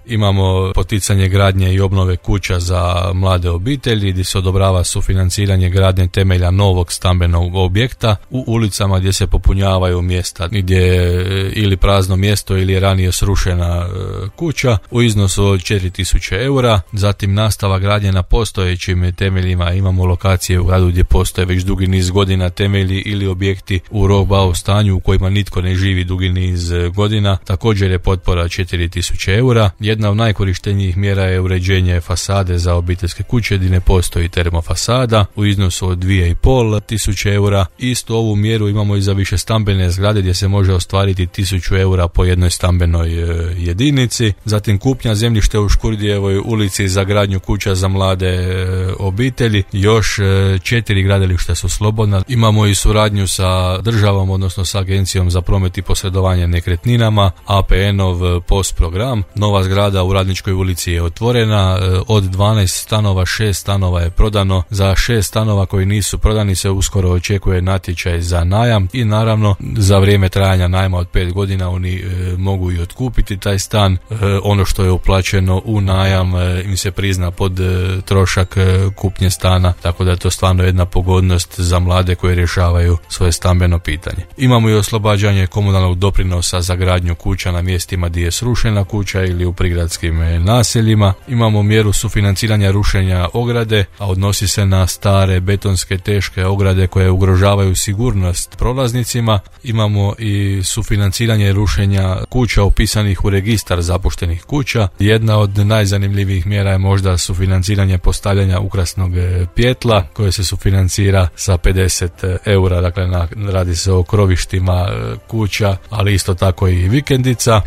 Imamo poticanje gradnje i obnove kuća za mlade obitelji gdje se odobrava sufinanciranje gradnje temelja novog stambenog objekta u ulicama gdje se popunjavaju mjesta gdje je ili prazno mjesto ili je ranije srušena kuća u iznosu od 4.000 eura. Zatim nastava gradnje na postojećim temeljima. Imamo lokacije u gradu gdje postoje već dugi niz godina temelji ili objekti u rohbau stanju u kojima nitko ne živi dugi niz godina. Također je potpora 4.000 eura. Jedna od najkorištenijih mjera je uređenje fasade za obiteljske kuće gdje ne postoji termofasada u iznosu od 2.500 eura. Istu ovu mjeru imamo i za više stambene zgrade gdje se može ostvariti 1.000 eura po jednoj stambenoj jedinici. Zatim kupnja zemljište u Škurdijevoj ulici za gradnju kuća za mlade obitelji. Još 4 gradilišta su slobodna. Imamo i suradnju sa državom, odnosno sa Agencijom za promet i posredovanje nekretninama, APN-ov POS program. Nova zgrada u Radničkoj ulici je otvorena. Od 12 stanova 6 stanova je prodano. Za 6 stanova koji nisu prodani se uskoro očekuje natječaj za najam i naravno za vrijeme trajanja najma od 5 godina oni mogu i otkupiti taj stan. Ono što je uplaćeno u najam im se prizna pod trošak kupnje stana, tako da je to stvarno jedna pogodnost za mlade koji rješavaju svoje stambeno pitanje. Imamo i oslobađanje komunalnog doprinosa za gradnju kuća na mjestima gdje je srušena kuća ili u prigradskim naseljima. Imamo mjeru sufinanciranja rušenja ograde, a odnosi se na stare betonske teške ograde koje ugrožavaju sigurnost prolaznicima. Imamo i sufinanciranje rušenja kuća upisanih u registar zapuštenih kuća. Jedna od najzanimljivijih mjera je možda sufinanciranje postavljanja ukrasnog pjetla koje se sufinancira sa 50 eura, dakle radi se o krovištima kuća, ali isto tako i vikendica.